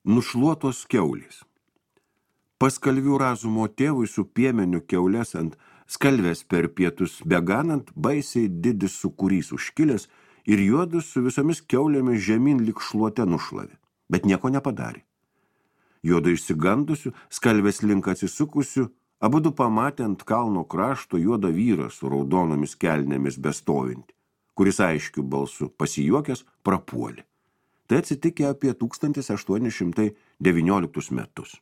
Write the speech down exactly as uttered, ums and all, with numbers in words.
Nušluotos kiaulės. Pas Kalvių Razumo tėvui su piemeniu kiaulės ant skalvės per pietus beganant, baisiai didis sūkurys užkilęs ir juodus su visomis kiaulėmis žemyn lyg šluote nušlavė, bet nieko nepadarė. Juodo išsigandusių, skalvės link atsisukusių, abudu pamatė ant kalno krašto juodą vyrą su raudonomis kelnėmis bestovinti, kuris aiškiu balsu pasijuokęs prapuolė. Tai atsitikė apie tūkstantis aštuoni šimtai devynioliktus metus.